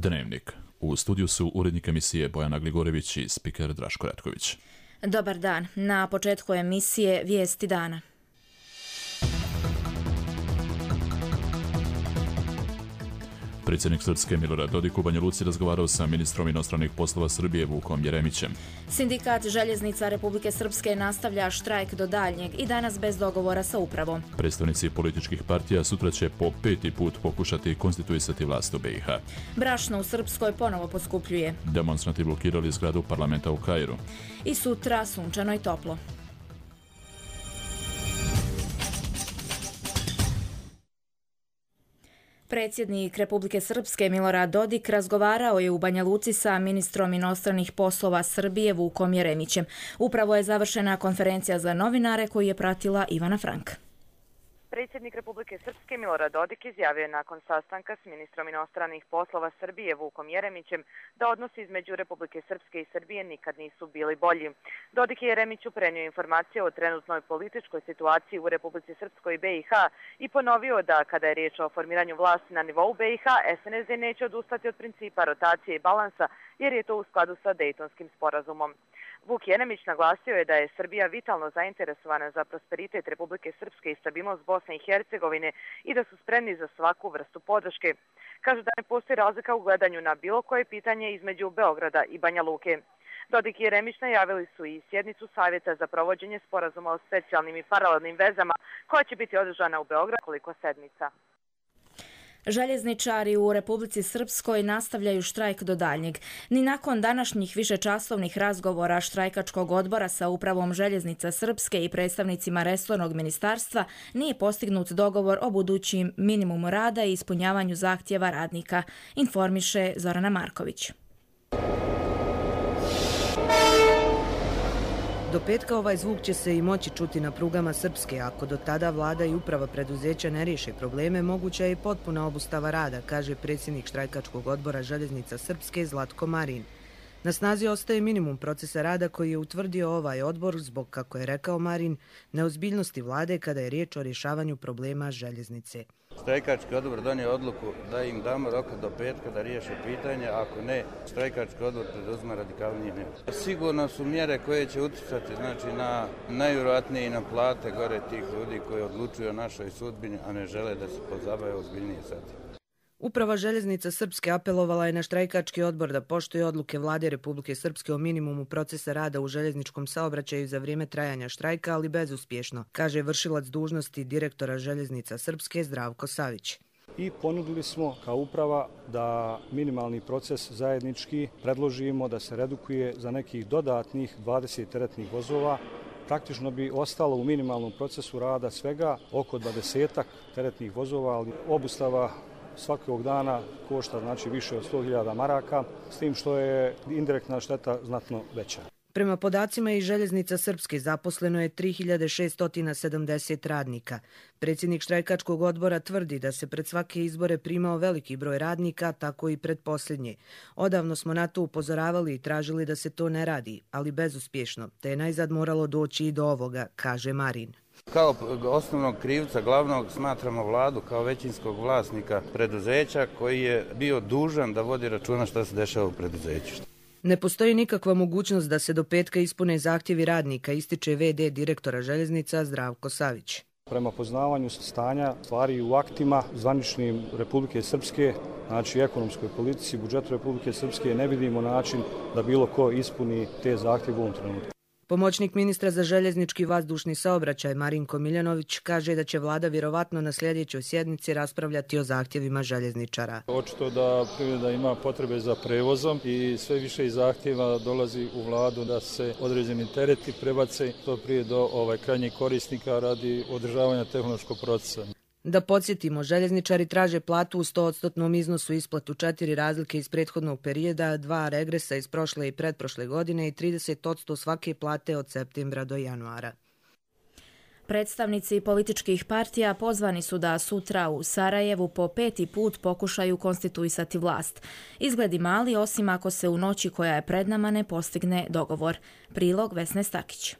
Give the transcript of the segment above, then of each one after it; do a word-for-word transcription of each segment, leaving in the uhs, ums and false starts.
Dnevnik. U studiju su urednik emisije Bojana Gligorević i spiker Draško Retković. Dobar dan. Na početku emisije Vijesti dana. Predsjednik Srpske Milorad Dodik u Banja Luci razgovarao sa ministrom inostranih poslova Srbije Vukom Jeremićem. Sindikat željeznica Republike Srpske nastavlja štrajk do daljnjeg i danas bez dogovora sa upravom. Predstavnici političkih partija sutra će po peti put pokušati konstituisati vlast u B i H. Brašno u Srpskoj ponovo poskupljuje. Demonstranti blokirali zgradu parlamenta u Kairu. I sutra sunčano i toplo. Predsjednik Republike Srpske Milorad Dodik razgovarao je u Banja Luci sa ministrom inostranih poslova Srbije Vukom Jeremićem. Upravo je završena konferencija za novinare koju je pratila Ivana Frank. Predsjednik Republike Srpske Milorad Dodik izjavio je nakon sastanka s ministrom inostranih poslova Srbije Vukom Jeremićem da odnosi između Republike Srpske i Srbije nikad nisu bili bolji. Dodik je Jeremiću prenio informacije o trenutnoj političkoj situaciji u Republici Srpskoj i B i H i ponovio da kada je riječ o formiranju vlasti na nivou B i H, S N S D neće odustati od principa rotacije i balansa jer je to u skladu sa Dejtonskim sporazumom. Vuk Jeremić naglasio je da je Srbija vitalno zainteresovana za prosperitet Republike Srpske i stabilnost Bosne i Hercegovine i da su spremni za svaku vrstu podrške. Kaže da ne postoji razlika u gledanju na bilo koje pitanje između Beograda i Banja Luke. Dodik i Jeremić najavili su i sjednicu Savjeta za provođenje sporazuma o specijalnim i paralelnim vezama koja će biti održana u Beogradu koliko sedmica. Željezničari u Republici Srpskoj nastavljaju štrajk do daljnjeg. Ni nakon današnjih višečasovnih razgovora štrajkačkog odbora sa upravom Željeznica Srpske i predstavnicima resornog ministarstva nije postignut dogovor o budućim minimumu rada i ispunjavanju zahtjeva radnika, informiše Zorana Marković. Do petka ovaj zvuk će se i moći čuti na prugama Srpske. Ako do tada vlada i uprava preduzeća ne riješe probleme, moguća je i potpuna obustava rada, kaže predsjednik štrajkačkog odbora Željeznica Srpske Zlatko Marin. Na snazi ostaje minimum procesa rada koji je utvrdio ovaj odbor zbog, kako je rekao Marin, neozbiljnosti vlade kada je riječ o rješavanju problema željeznice. Štrajkački odbor donio odluku da im damo roka do petka da riješe pitanje, ako ne, štrajkački odbor preduzima radikalnije mjere. Sigurno su mjere koje će utjecati znači, na najvjerojatnije i na plate gore tih ljudi koji odlučuju o našoj sudbini, a ne žele da se pozabave ozbiljnije sad. Uprava Željeznica Srpske apelovala je na štrajkački odbor da poštuje odluke vlade Republike Srpske o minimumu procesa rada u željezničkom saobraćaju za vrijeme trajanja štrajka, ali bezuspješno, kaže vršilac dužnosti direktora Željeznica Srpske Zdravko Savić. I ponudili smo kao uprava da minimalni proces zajednički predložimo da se redukuje za nekih dodatnih dvadeset teretnih vozova. Praktično bi ostalo u minimalnom procesu rada svega oko dvadesetak teretnih vozova, ali obustava svakog dana košta znači više od sto hiljada maraka, s tim što je indirektna šteta znatno veća. Prema podacima iz Željeznica Srpske zaposleno je tri hiljade šesto sedamdeset radnika. Predsjednik štrajkačkog odbora tvrdi da se pred svake izbore primao veliki broj radnika, tako i pred posljednje. Odavno smo na to upozoravali i tražili da se to ne radi, ali bezuspješno, te je najzad moralo doći i do ovoga, kaže Marin. Kao osnovnog krivca glavnog smatramo vladu kao većinskog vlasnika preduzeća koji je bio dužan da vodi računa šta se dešava u preduzeću. Ne postoji nikakva mogućnost da se do petka ispune zahtjevi radnika, ističe ve de direktora Željeznica Zdravko Savić. Prema poznavanju stanja stvari u aktima zvaničnim Republike Srpske, znači ekonomskoj politici, budžetu Republike Srpske, ne vidimo način da bilo ko ispuni te zahtjeve u ovom trenutku. Pomoćnik ministra za željeznički vazdušni saobraćaj Marinko Miljanović kaže da će vlada vjerovatno na sljedećoj sjednici raspravljati o zahtjevima željezničara. Očito da privreda ima potrebe za prevozom i sve više i zahtjeva dolazi u vladu da se određeni tereti prebace to prije do ovaj, krajnjih korisnika radi održavanja tehnološkog procesa. Da podsjetimo, željezničari traže platu u sto posto iznosu, isplatu četiri razlike iz prethodnog perioda, dva regresa iz prošle i pretprošle godine i trideset posto svake plate od septembra do januara. Predstavnici političkih partija pozvani su da sutra u Sarajevu po peti put pokušaju konstituisati vlast. Izgledi mali, osim ako se u noći koja je pred nama ne postigne dogovor. Prilog Vesne Stakić.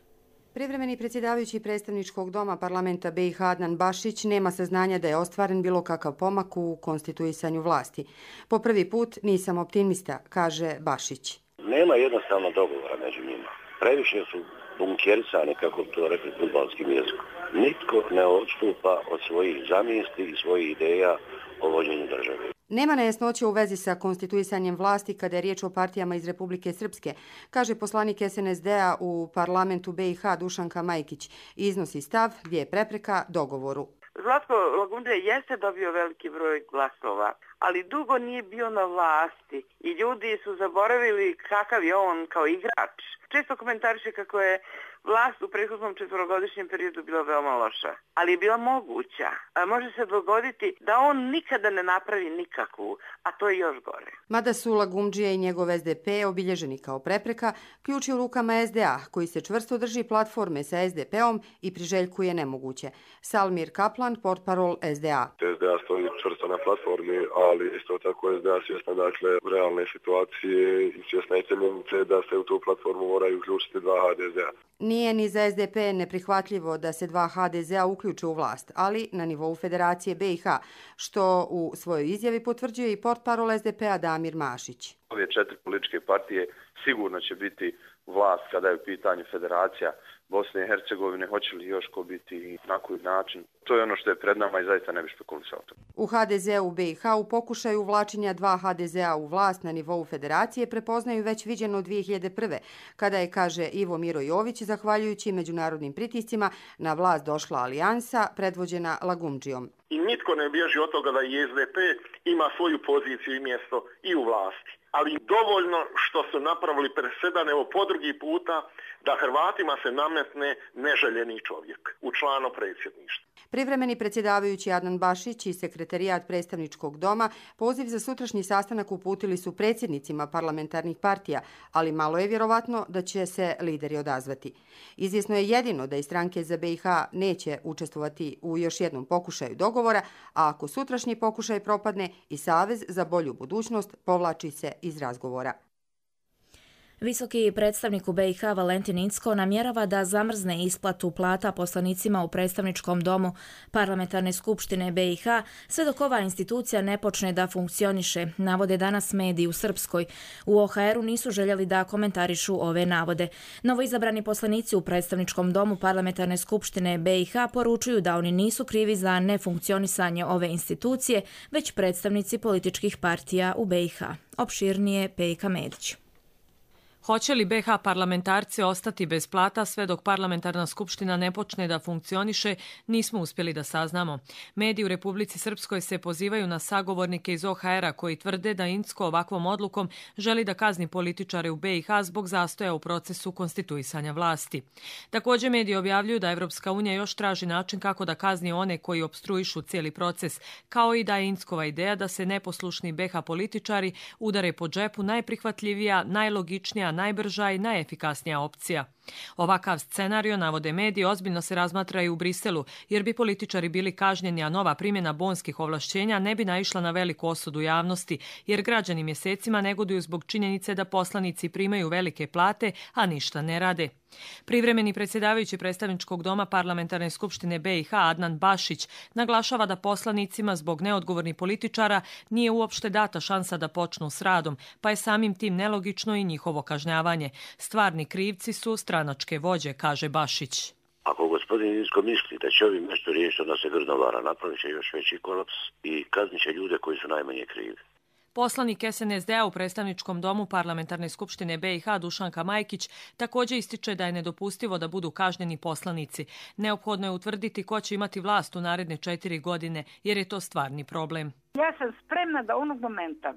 Privremeni predsjedavajući predstavničkog doma parlamenta B i H Adnan Bašić nema saznanja da je ostvaren bilo kakav pomak u konstituisanju vlasti. Po prvi put nisam optimista, kaže Bašić. Nema jednostavno dogovora među njima. Previše su bunkerisane, kako to rekli fudbalskim jezikom. Nitko ne odstupa od svojih zamisli i svojih ideja o vođenju države. Nema nejasnoće u vezi sa konstituisanjem vlasti kada je riječ o partijama iz Republike Srpske, kaže poslanik S N S D-a u parlamentu B i H Dušanka Majkić. Iznosi stav gdje je prepreka dogovoru. Zlatko Lagundžija jeste dobio veliki broj glasova, ali dugo nije bio na vlasti i ljudi su zaboravili kakav je on kao igrač. Često komentariše kako je vlast u prethodnom četvorogodišnjem periodu bila veoma loša, ali je bila moguća. A može se dogoditi da on nikada ne napravi nikakvu, a to je još gore. Mada su Lagundžija i njegov S D P obilježeni kao prepreka, ključ je u rukama S D A, koji se čvrsto drži platforme sa S D P-om i priželjkuje nemoguće. Salmir Kaplan, portparol S D A. S D A stoji čvrsto na platformi, ali isto tako S D A svjesna dakle realne situacije i svjesna je činjenice da se u tu platformu moraju uključiti dva H D Z A. Nije ni za S D P neprihvatljivo da se dva H D Z A uključe u vlast, ali na nivou Federacije B i H, što u svojoj izjavi potvrđuje i portparol S D P-a Damir Mašić. Ove četiri političke partije sigurno će biti vlast kada je u pitanju Federacija Bosne i Hercegovine, hoće li još ko biti i na koji način. To je ono što je pred nama i zaista ne bi špekulisao to. U H D Z U B i H u pokušaju uvlačenja dva H D Z A u vlast na nivou Federacije prepoznaju već viđeno dvije hiljade prve. kada je, kaže Ivo Miro Jović, zahvaljujući međunarodnim pritiscima, na vlast došla alijansa predvođena Lagundžijom. I nitko ne bježi od toga da i S D P ima svoju poziciju i mjesto i u vlasti. Ali dovoljno što su napravili presedan, evo po drugi puta, da Hrvatima se nametne neželjeni čovjek u članu predsjedništva. Privremeni predsjedavajući Adnan Bašić i sekretarijat predstavničkog doma poziv za sutrašnji sastanak uputili su predsjednicima parlamentarnih partija, ali malo je vjerovatno da će se lideri odazvati. Izvjesno je jedino da i stranke za B i H neće učestvovati u još jednom pokušaju dogovora, a ako sutrašnji pokušaj propadne, i Savez za bolju budućnost povlači se iz razgovora. Visoki predstavnik u B i H Valentin Incko namjerava da zamrzne isplatu plata poslanicima u predstavničkom domu Parlamentarne skupštine B i H sve dok ova institucija ne počne da funkcioniše, navode danas mediji u Srpskoj. U O H R-u nisu željeli da komentarišu ove navode. Novoizabrani poslanici u predstavničkom domu Parlamentarne skupštine B i H poručuju da oni nisu krivi za nefunkcionisanje ove institucije, već predstavnici političkih partija u B i H. Opširnije Pejka Medić. Hoće li B H parlamentarci ostati bez plata sve dok parlamentarna skupština ne počne da funkcioniše, nismo uspjeli da saznamo. Mediji u Republici Srpskoj se pozivaju na sagovornike iz O H R-a koji tvrde da Incko ovakvom odlukom želi da kazni političare u B i H zbog zastoja u procesu konstituisanja vlasti. Također mediji objavljuju da Evropska unija još traži način kako da kazni one koji opstruišu cijeli proces, kao i da je Inckova ideja da se neposlušni B H političari udare po džepu najprihvatljivija, najlogičnija, najbrža i najefikasnija opcija. Ovakav scenario, navode mediji, ozbiljno se razmatra i u Briselu, jer bi političari bili kažnjeni, a nova primjena bonskih ovlašćenja ne bi naišla na veliku osudu javnosti, jer građani mjesecima negoduju zbog činjenice da poslanici primaju velike plate, a ništa ne rade. Privremeni predsjedavajući predstavničkog doma Parlamentarne skupštine B i H Adnan Bašić naglašava da poslanicima zbog neodgovornih političara nije uopšte data šansa da počnu s radom, pa je samim tim nelogično i njihovo kažnjavanje. Stvarni krivci su stranačke vođe, kaže Bašić. Ako gospodin Incko misli da će ovim nešto riješiti, onda se grdno vara, napravit će još veći kolaps i kaznit će ljude koji su najmanje krivi. Poslanik S N S D-a u predstavničkom domu Parlamentarne skupštine B i H Dušanka Majkić također ističe da je nedopustivo da budu kažnjeni poslanici. Neophodno je utvrditi ko će imati vlast u naredne četiri godine, jer je to stvarni problem. Ja sam spremna da onog momenta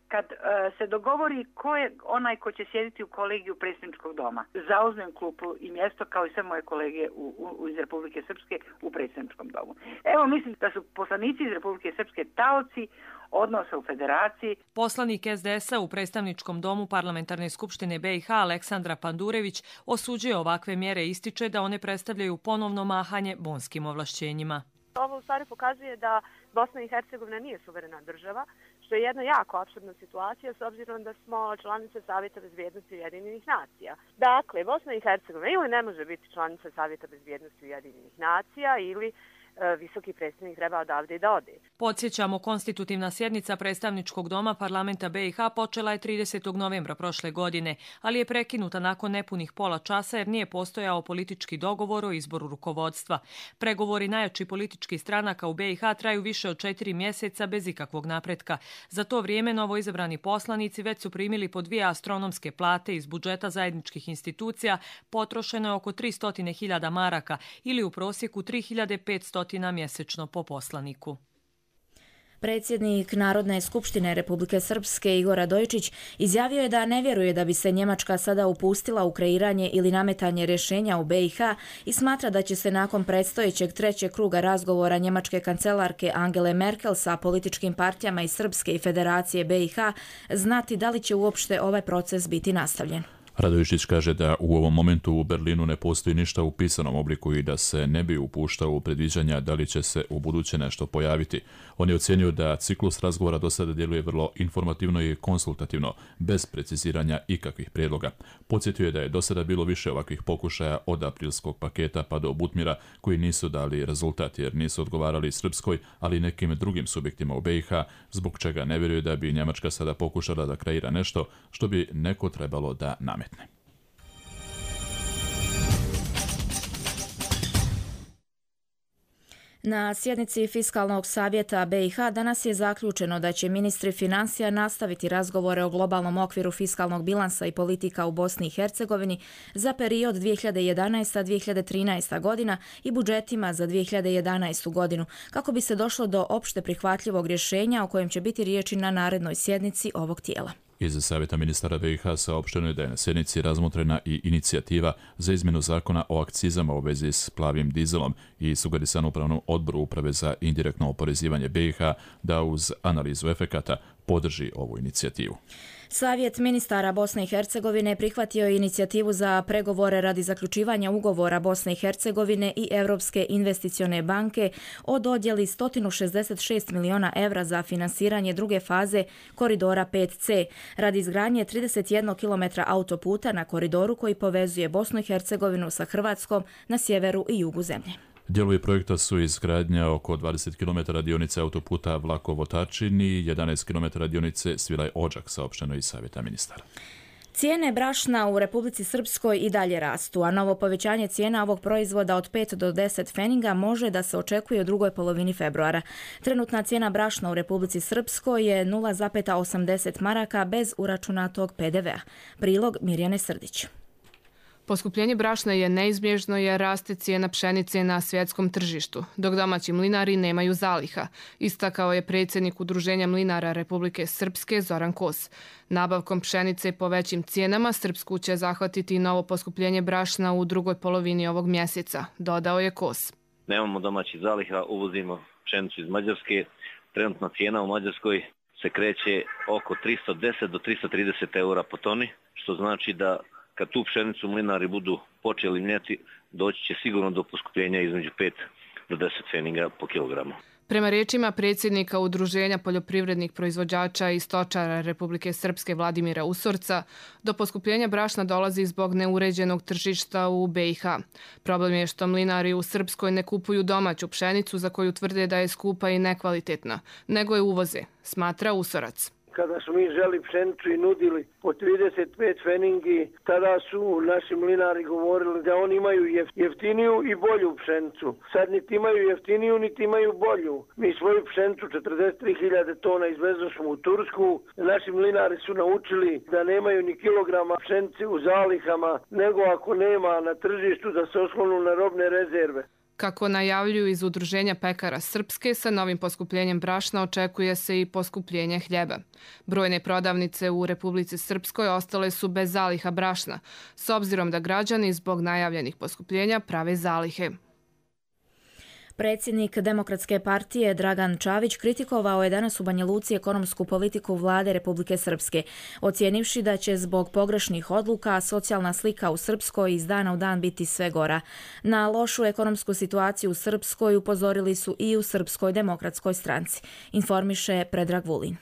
kad uh, se dogovori ko je onaj ko će sjediti u kolegiju predsjedničkog doma, zauzmem klupu i mjesto kao i sve moje kolege u, u, iz Republike Srpske u predsjedničkom domu. Evo, mislim da su poslanici iz Republike Srpske taoci odnosa u federaciji. Poslanik S D S-a u predstavničkom domu Parlamentarne skupštine B i H Aleksandra Pandurević osuđuje ovakve mjere i ističe da one predstavljaju ponovno mahanje bonskim ovlašćenjima. Ovo u stvari pokazuje da Bosna i Hercegovina nije suverena država, što što je jedna jako apsurdna situacija s obzirom da smo članice Savjeta bezbjednosti Ujedinjenih nacija. Dakle, Bosna i Hercegovina ili ne može biti članica Savjeta bezbjednosti Ujedinjenih nacija ili visoki predstavnik treba odavde i da ode. Podsjećamo, konstitutivna sjednica predstavničkog doma parlamenta B i H počela je tridesetog novembra prošle godine, ali je prekinuta nakon nepunih pola časa jer nije postojao politički dogovor o izboru rukovodstva. Pregovori najjačih političkih stranaka u B i H traju više od četiri mjeseca bez ikakvog napretka. Za to vrijeme novoizabrani poslanici već su primili po dvije astronomske plate iz budžeta zajedničkih institucija, potrošeno je oko tristo hiljada maraka ili u prosjeku tri hiljade petsto mjesečno po poslaniku. Predsjednik Narodne skupštine Republike Srpske Igor Radojičić izjavio je da ne vjeruje da bi se Njemačka sada upustila u kreiranje ili nametanje rješenja u B i H i smatra da će se nakon predstojećeg trećeg kruga razgovora njemačke kancelarke Angele Merkel sa političkim partijama iz Srpske i Federacije B i H znati da li će uopšte ovaj proces biti nastavljen. Radojičić kaže da u ovom momentu u Berlinu ne postoji ništa u pisanom obliku i da se ne bi upuštao u predviđanja da li će se u buduće nešto pojaviti. On je ocijenio da ciklus razgovora do sada djeluje vrlo informativno i konsultativno, bez preciziranja ikakvih prijedloga. Podsjetio je da je do sada bilo više ovakvih pokušaja od aprilskog paketa pa do Butmira koji nisu dali rezultat jer nisu odgovarali Srpskoj, ali i nekim drugim subjektima u B i H, zbog čega ne vjeruje da bi Njemačka sada pokušala da kreira nešto što bi neko trebalo da nametne. Na sjednici Fiskalnog savjeta B i H danas je zaključeno da će ministri financija nastaviti razgovore o globalnom okviru fiskalnog bilansa i politika u Bosni i Hercegovini za period dvije hiljade jedanaesta do dvije hiljade trinaesta godina i budžetima za dvije hiljade jedanaestu godinu, kako bi se došlo do opšte prihvatljivog rješenja o kojem će biti riječi na narednoj sjednici ovog tijela. Iz Savjeta ministara B i H saopšteno je da je na sjednici razmotrena i inicijativa za izmjenu zakona o akcizama u vezi s plavim dizelom i sugerisan upravnom odboru Uprave za indirektno oporezivanje B i H da uz analizu efekata podrži ovu inicijativu. Savjet ministara Bosne i Hercegovine prihvatio je inicijativu za pregovore radi zaključivanja ugovora Bosne i Hercegovine i Europske investicione banke o dodjeli sto šezdeset šest miliona evra za finansiranje druge faze koridora pet C radi izgradnje trideset jedan kilometra autoputa na koridoru koji povezuje Bosnu i Hercegovinu sa Hrvatskom na sjeveru i jugu zemlje. Dijelovi projekta su izgradnja oko dvadeset kilometara dionice autoputa Vlakovo-Tačin i jedanaest kilometara dionice Svilaj-Odžak, saopšteno iz Savjeta ministara. Cijene brašna u Republici Srpskoj i dalje rastu, a novo povećanje cijena ovog proizvoda od pet do deset pfeniga može da se očekuje u drugoj polovini februara. Trenutna cijena brašna u Republici Srpskoj je nula zarez osamdeset maraka bez uračunatog P D V-a. Prilog Mirjane Srdić. Poskupljenje brašna je neizbježno jer raste cijena pšenice na svjetskom tržištu, dok domaći mlinari nemaju zaliha, istakao je predsjednik Udruženja mlinara Republike Srpske Zoran Kos. Nabavkom pšenice po većim cijenama Srpsku će zahvatiti novo poskupljenje brašna u drugoj polovini ovog mjeseca, dodao je Kos. Nemamo domaćih zaliha, uvozimo pšenicu iz Mađarske. Trenutna cijena u Mađarskoj se kreće oko tristo deset do tristo trideset eura po toni, što znači da kad tu pšenicu mlinari budu počeli mljeti, doći će sigurno do poskupljenja između pet do deset pfeniga po kilogramu. Prema riječima predsjednika Udruženja poljoprivrednih proizvođača i stočara Republike Srpske Vladimira Usorca, do poskupljenja brašna dolazi zbog neuređenog tržišta u B i H. Problem je što mlinari u Srpskoj ne kupuju domaću pšenicu za koju tvrde da je skupa i nekvalitetna, nego je uvoze, smatra Usorac. Kada smo mi želi pšenicu i nudili po trideset pet pfeningi, tada su naši mlinari govorili da oni imaju jeftiniju i bolju pšenicu. Sad niti imaju jeftiniju, niti imaju bolju. Mi svoju pšenicu četrdeset tri hiljade tona izvezli smo u Tursku. Naši mlinari su naučili da nemaju ni kilograma pšenice u zalihama, nego ako nema na tržištu da se oslonu na robne rezerve. Kako najavljuju iz Udruženja pekara Srpske, sa novim poskupljenjem brašna očekuje se i poskupljenje hljeba. Brojne prodavnice u Republici Srpskoj ostale su bez zaliha brašna, s obzirom da građani zbog najavljenih poskupljenja prave zalihe. Predsjednik Demokratske partije Dragan Čavić kritikovao je danas u Banja Luci ekonomsku politiku vlade Republike Srpske, ocijenivši da će zbog pogrešnih odluka socijalna slika u Srpskoj iz dana u dan biti sve gora. Na lošu ekonomsku situaciju u Srpskoj upozorili su i u Srpskoj demokratskoj stranci, informiše Predrag Vulin.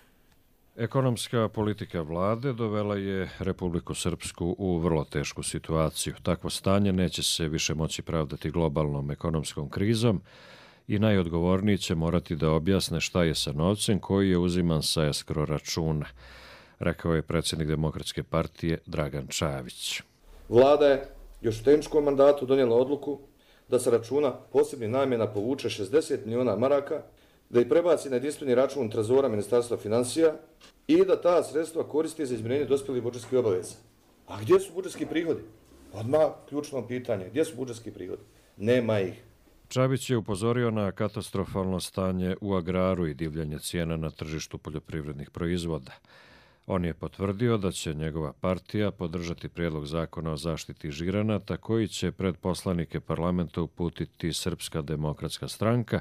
Ekonomska politika vlade dovela je Republiku Srpsku u vrlo tešku situaciju. Takvo stanje neće se više moći pravdati globalnom ekonomskom krizom i najodgovorniji će morati da objasne šta je sa novcem koji je uziman sa eskro računa, rekao je predsjednik Demokratske partije Dragan Čavić. Vlada je još u tehničkom mandatu donijela odluku da se računa posebnih namjena povuče šezdeset miliona maraka, da ih prebaci na jedinstveni račun trezora Ministarstva financija i da ta sredstva koristi za izmirenje dospjelih budžetskih obaveza. A gdje su budžetski prihodi? Odmah ključno pitanje, gdje su budžetski prihodi? Nema ih. Čabić je upozorio na katastrofalno stanje u agraru i divljanje cijena na tržištu poljoprivrednih proizvoda. On je potvrdio da će njegova partija podržati prijedlog zakona o zaštiti žiranata koji će pred poslanike parlamenta uputiti Srpska demokratska stranka,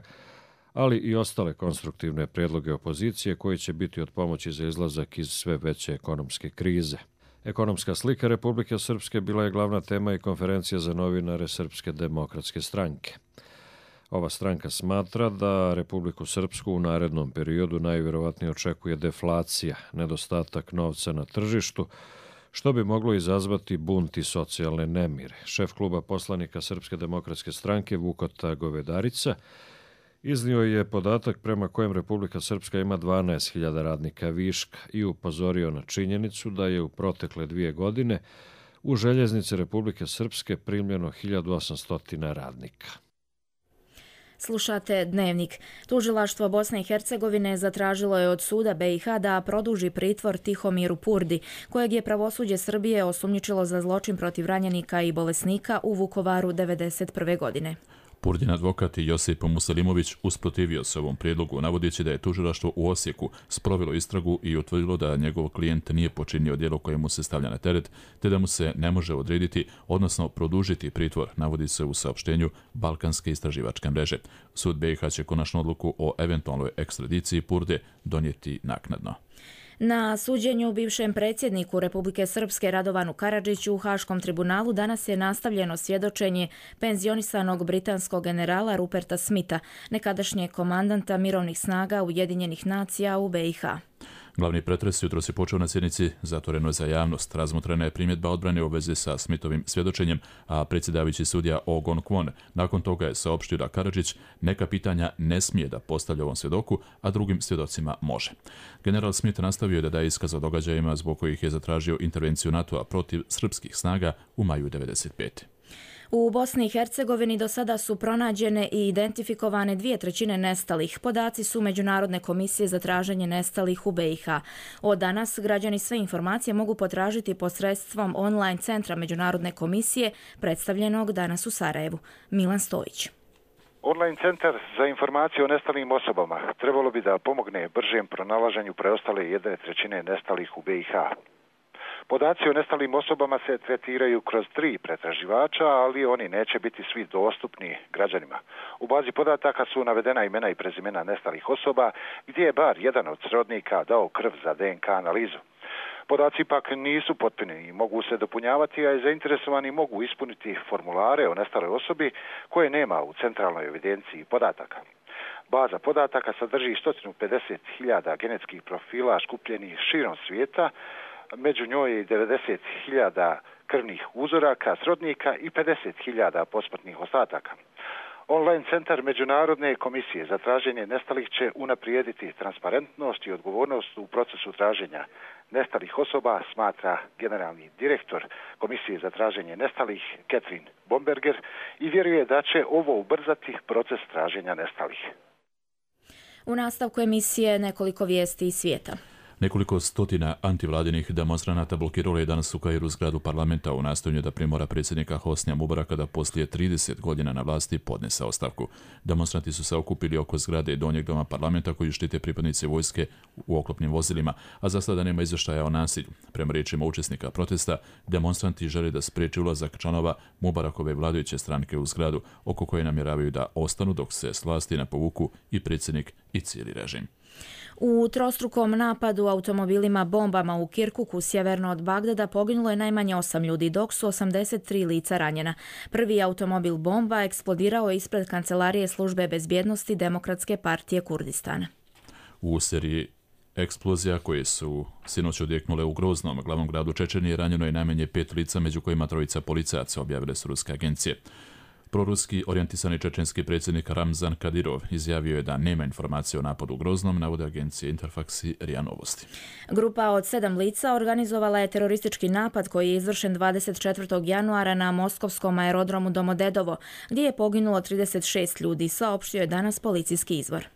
ali i ostale konstruktivne prijedloge opozicije koji će biti od pomoći za izlazak iz sve veće ekonomske krize. Ekonomska slika Republike Srpske bila je glavna tema i konferencija za novinare Srpske demokratske stranke. Ova stranka smatra da Republiku Srpsku u narednom periodu najvjerovatnije očekuje deflacija, nedostatak novca na tržištu, što bi moglo izazvati bunt i socijalne nemire. Šef kluba poslanika Srpske demokratske stranke Vukota Govedarica iznio je podatak prema kojem Republika Srpska ima dvanaest hiljada radnika viška i upozorio na činjenicu da je u protekle dvije godine u željeznice Republike Srpske primljeno hiljadu osamsto radnika. Slušate Dnevnik. Tužilaštvo Bosne i Hercegovine zatražilo je od suda be i ha da produži pritvor Tihomiru Purdi, kojeg je pravosuđe Srbije osumnjičilo za zločin protiv ranjenika i bolesnika u Vukovaru devedeset prve godine. Purdin advokat Josip Muselimović usprotivio se ovom prijedlogu, navodeći da je tužilaštvo u Osijeku sprovelo istragu i utvrdilo da njegov klijent nije počinio djelo koje mu se stavlja na teret, te da mu se ne može odrediti, odnosno produžiti pritvor, navodi se u saopštenju Balkanske istraživačke mreže. Sud be i ha će konačnu odluku o eventualnoj ekstradiciji Purde donijeti naknadno. Na suđenju bivšem predsjedniku Republike Srpske Radovanu Karadžiću u Haškom tribunalu danas je nastavljeno svjedočenje penzionisanog britanskog generala Ruperta Smitha, nekadašnjeg komandanta mirovnih snaga Ujedinjenih nacija u be i ha. Glavni pretres jutros je počeo na sjednici zatvorenoj za javnost. Razmotrena je primjedba odbrane u vezi sa Smithovim svjedočenjem, a predsjedavajući sudija Ogon Kwon nakon toga je saopštio da Karadžić neka pitanja ne smije da postavlja ovom svjedoku, a drugim svjedocima može. General Smith nastavio je da daje iskaz o događajima zbog kojih je zatražio intervenciju NATO-a protiv srpskih snaga u maju devedeset pete. U Bosni i Hercegovini do sada su pronađene i identifikovane dvije trećine nestalih. Podaci su Međunarodne komisije za traženje nestalih u be i ha. Od danas građani sve informacije mogu potražiti posredstvom online centra Međunarodne komisije predstavljenog danas u Sarajevu. Milan Stojić. Online centar za informacije o nestalim osobama trebalo bi da pomogne bržem pronalaženju preostale jedne trećine nestalih u be i ha. Podaci o nestalim osobama se tretiraju kroz tri pretraživača, ali oni neće biti svi dostupni građanima. U bazi podataka su navedena imena i prezimena nestalih osoba, gdje je bar jedan od srodnika dao krv za de en ka analizu. Podaci ipak nisu potpuni i mogu se dopunjavati, a zainteresovani mogu ispuniti formulare o nestaloj osobi koje nema u centralnoj evidenciji podataka. Baza podataka sadrži sto pedeset hiljada genetskih profila skupljenih širom svijeta, među njoj je devedeset hiljada krvnih uzoraka srodnika i pedeset hiljada posmrtnih ostataka. Online centar Međunarodne komisije za traženje nestalih će unaprijediti transparentnost i odgovornost u procesu traženja nestalih osoba, smatra generalni direktor Komisije za traženje nestalih Catherine Bomberger i vjeruje da će ovo ubrzati proces traženja nestalih. U nastavku emisije nekoliko vijesti iz svijeta. Nekoliko stotina antivladinih demonstranata blokiralo je danas u Kairu zgradu parlamenta u nastojanju da primora predsjednika Hosnija Mubaraka da poslije trideset godina na vlasti podnese ostavku. Demonstranti su se okupili oko zgrade Donjeg doma parlamenta koju štite pripadnici vojske u oklopnim vozilima, a za sada nema izvještaja o nasilju. Prema riječima učesnika protesta, demonstranti žele da spriječi ulazak članova Mubarakove vladajuće stranke u zgradu, oko koje namjeravaju da ostanu dok se s vlasti ne povuku i predsjednik i cijeli režim. U trostrukom napadu automobilima bombama u Kirkuku, sjeverno od Bagdada, poginulo je najmanje osam ljudi, dok su osamdeset tri lica ranjena. Prvi automobil bomba eksplodirao je ispred kancelarije službe bezbjednosti Demokratske partije Kurdistana. U seriji Eksplozija koje su sinoć odjeknule u Groznom, glavnom gradu Čečenije, ranjeno je najmanje pet lica, među kojima trojica policajaca, objavile su ruske agencije. Proruski orijentisani čečenski predsjednik Ramzan Kadirov izjavio je da nema informacije o napadu u Groznom, navode agencije Interfax i R I A Novosti. Grupa od sedam lica organizovala je teroristički napad koji je izvršen dvadeset četvrtog januara na moskovskom aerodromu Domodedovo, gdje je poginulo trideset šest ljudi, saopštio je danas policijski izvor.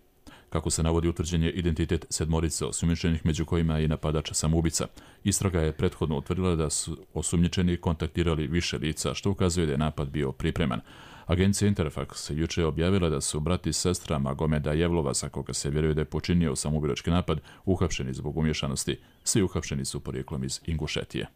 Kako se navodi, utvrđen je identitet sedmorice osumnjičenih, među kojima je i napadač samoubica. Istraga je prethodno utvrdila da su osumnjičeni kontaktirali više lica, što ukazuje da je napad bio pripreman. Agencija Interfax juče je objavila da su brat i sestra Magomeda Jevlova, za koga se vjeruje da je počinio samoubilački napad, uhapšeni zbog umješanosti. Svi uhapšeni su porijeklom iz Ingušetije.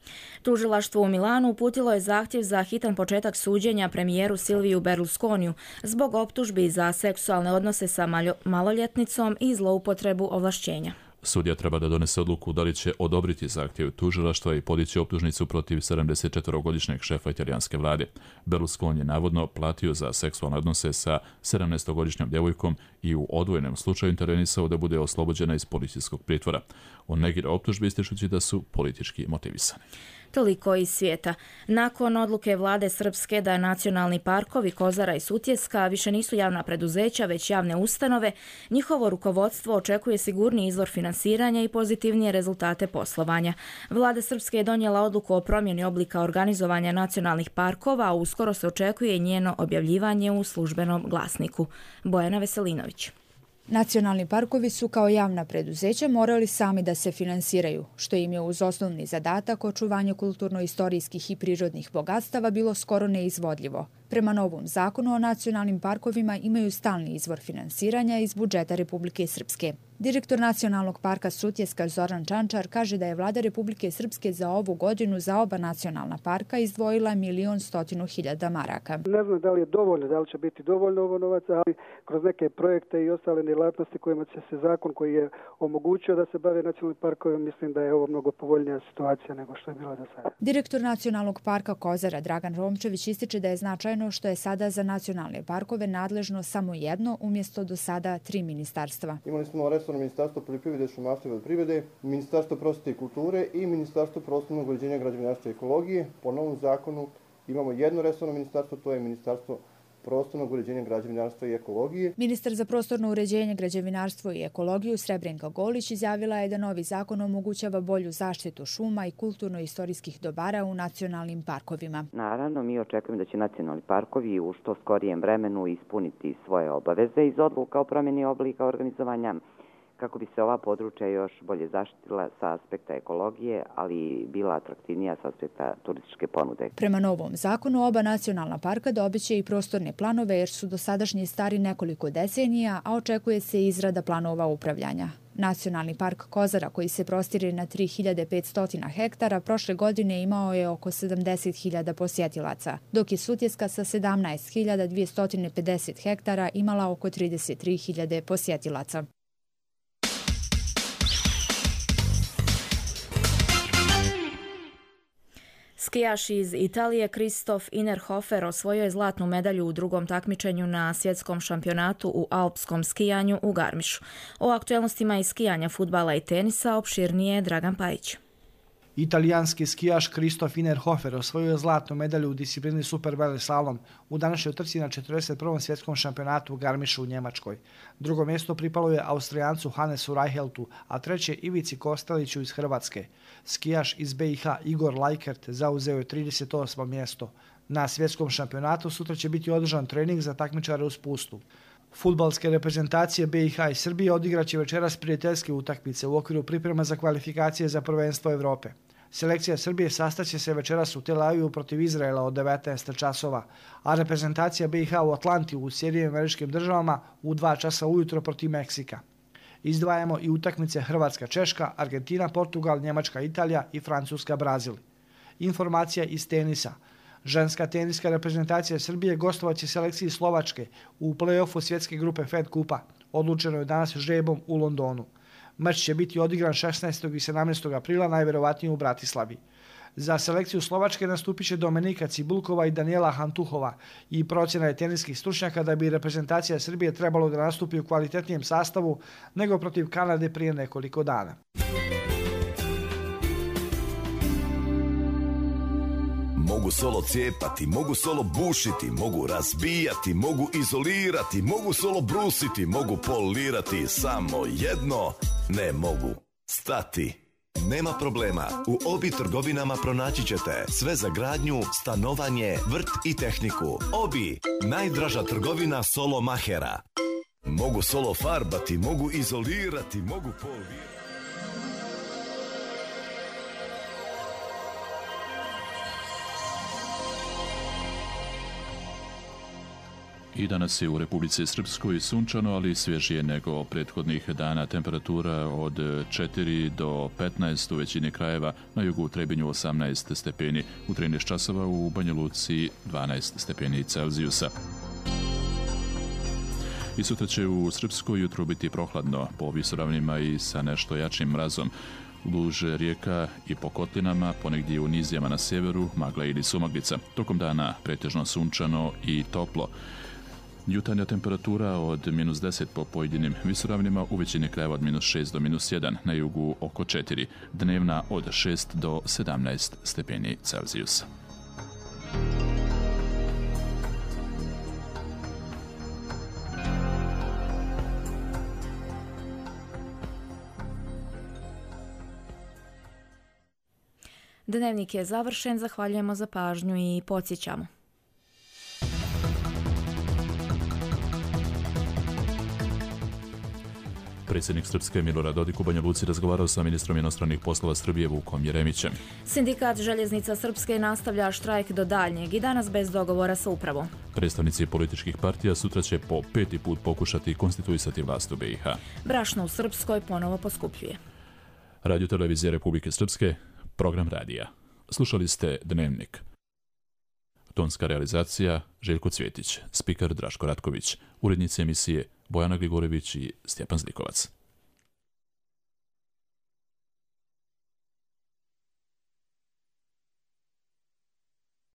Tužilaštvo u Milanu uputilo je zahtjev za hitan početak suđenja premijeru Silviju Berlusconiju zbog optužbi za seksualne odnose sa maloljetnicom i zloupotrebu ovlašćenja. Sudija treba da donese odluku da li će odobriti zahtjev tužilaštva i podići optužnicu protiv sedamdesetčetvorogodišnjeg šefa italijanske vlade. Berlusconi je navodno platio za seksualne odnose sa sedamnaestogodišnjom djevojkom i u odvojenom slučaju intervenisao da bude oslobođena iz policijskog pritvora. On negira optužbe ističući da su politički motivisane. Toliko iz svijeta. Nakon odluke vlade Srpske da nacionalni parkovi Kozara i Sutjeska više nisu javna preduzeća, već javne ustanove, njihovo rukovodstvo očekuje sigurniji izvor finansiranja i pozitivnije rezultate poslovanja. Vlada Srpske je donijela odluku o promjeni oblika organizovanja nacionalnih parkova, a uskoro se očekuje i njeno objavljivanje u službenom glasniku. Bojana Veselinović. Nacionalni parkovi su kao javna preduzeća morali sami da se finansiraju, što im je uz osnovni zadatak očuvanje kulturno-istorijskih i prirodnih bogatstava bilo skoro neizvodljivo. Prema novom zakonu o nacionalnim parkovima imaju stalni izvor finansiranja iz budžeta Republike Srpske. Direktor Nacionalnog parka Sutjeska Zoran Čančar kaže da je vlada Republike Srpske za ovu godinu za oba nacionalna parka izdvojila milion stotinu hiljada maraka. Ne znam da li je dovoljno, da li će biti dovoljno ovo novaca, ali kroz neke projekte i ostale djelatnosti kojima će se zakon koji je omogućio da se bave nacionalnim parkovima, mislim da je ovo mnogo povoljnija situacija nego što je bila do sada. Direktor Nacionalnog parka Kozara Dragan Romčević ističe da je značajno što je sada za nacionalne parkove nadležno samo jedno umjesto do sada tri ministarstva. Imali smo resorno Ministarstvo poljoprivrede, šumarstva i vodoprivrede, Ministarstvo prosvjete i kulture i Ministarstvo prostornog uređenja, građevinarstva i ekologije. Po novom zakonu imamo jedno resorno ministarstvo, to je Ministarstvo prostornog uređenja, građevinarstva i ekologije. Ministar za prostorno uređenje, građevinarstvo i ekologiju Srebrenka Golić izjavila je da novi zakon omogućava bolju zaštitu šuma i kulturno-istorijskih dobara u nacionalnim parkovima. Naravno, mi očekujemo da će nacionalni parkovi u što skorijem vremenu ispuniti svoje obaveze iz odluka o promjeni oblika organizovanja, kako bi se ova područja još bolje zaštitila sa aspekta ekologije, ali bila atraktivnija sa aspekta turističke ponude. Prema novom zakonu, oba nacionalna parka dobiće i prostorne planove jer su dosadašnji stari nekoliko decenija, a očekuje se izrada planova upravljanja. Nacionalni park Kozara, koji se prostire na tri hiljade petsto hektara, prošle godine imao je oko sedamdeset hiljada posjetilaca, dok je Sutjeska sa sedamnaest hiljada dvjesto pedeset hektara imala oko trideset tri hiljade posjetilaca. Skijaš iz Italije Kristof Innerhofer osvojio je zlatnu medalju u drugom takmičenju na svjetskom šampionatu u alpskom skijanju u Garmišu. O aktualnostima iz skijanja, fudbala i tenisa opširnije Dragan Pajić. Italijanski skijaš Kristof Innerhofer osvojio je zlatnu medalju u disciplini superveleslalom u današnjoj trci na četrdeset prvom svjetskom šampionatu u Garmišu u Njemačkoj. Drugo mjesto pripalo je Austrijancu Hannesu Reiheltu, a treće Ivici Kosteliću iz Hrvatske. Skijaš iz B i H Igor Lajkert zauzeo je trideset osmo mjesto. Na svjetskom šampionatu sutra će biti održan trening za takmičare u spustu. Fudbalske reprezentacije B i H i Srbije odigraće večeras prijateljske utakmice u okviru priprema za kvalifikacije za prvenstvo Evrope. Selekcija Srbije sastaće se večeras u Tel Avivu protiv Izraela od devetnaest časova, a reprezentacija B i H u Atlanti u Sjedinjenim Američkim Državama u dva časa ujutro protiv Meksika. Izdvajamo i utakmice Hrvatska, Češka, Argentina, Portugal, Njemačka, Italija i Francuska, Brazil. Informacija iz tenisa. Ženska teniska reprezentacija Srbije gostovaće selekciji Slovačke u play-offu svjetske grupe Fed Kupa. Odlučeno je danas žrebom u Londonu. Meč će biti odigran šesnaestog i sedamnaestog aprila, najvjerovatnije u Bratislavi. Za selekciju Slovačke nastupit će Dominika Cibulkova i Daniela Hantuhova i procjena je teniskih stručnjaka da bi reprezentacija Srbije trebalo da nastupi u kvalitetnijem sastavu nego protiv Kanade prije nekoliko dana. Mogu solo cijepati, mogu solo bušiti, mogu razbijati, mogu izolirati, mogu solo brusiti, mogu polirati, samo jedno ne mogu stati. Nema problema, u Obi trgovinama pronaći ćete sve za gradnju, stanovanje, vrt i tehniku. Obi, najdraža trgovina solo mahera. Mogu solo farbati, mogu izolirati, mogu polirati. I danas je u Republici Srpskoj sunčano, ali svježije nego prethodnih dana. Temperatura od četiri do petnaest u većini krajeva, na jugu u Trebinju osamnaest stepeni, u trinaest časova u Banja Luci dvanaest stepeni Celzijusa. I sutra će u Srpskoj jutro biti prohladno, po visoravnima i sa nešto jačim mrazom. Duž rijeka i po kotlinama, ponegdje u nizijama na sjeveru, magla ili sumaglica. Tokom dana pretežno sunčano i toplo. Jutarnja temperatura od minus deset po pojedinim visoravnima, u većini krajeva od minus šest do minus jedan, na jugu oko četiri, dnevna od šest do sedamnaest stepeni Celzijusa. Dnevnik je završen, zahvaljujemo za pažnju i podsjećamo. Predsjednik Srpske Milorad Dodik u Banja Luci razgovarao sa ministrom inostranih poslova Srbije Vukom Jeremićem. Sindikat Željeznica Srpske nastavlja štrajk do daljnjeg i danas bez dogovora sa upravom. Predstavnici političkih partija sutra će po peti put pokušati konstituisati vlast u B i H. Brašno u Srpskoj ponovo poskupljuje. Radio Televizija Republike Srpske, program radija. Slušali ste Dnevnik. Tonska realizacija Željko Cvjetić, spiker Draško Ratković, urednici emisije Bojana Grigorević i Stjepan Zlikovac.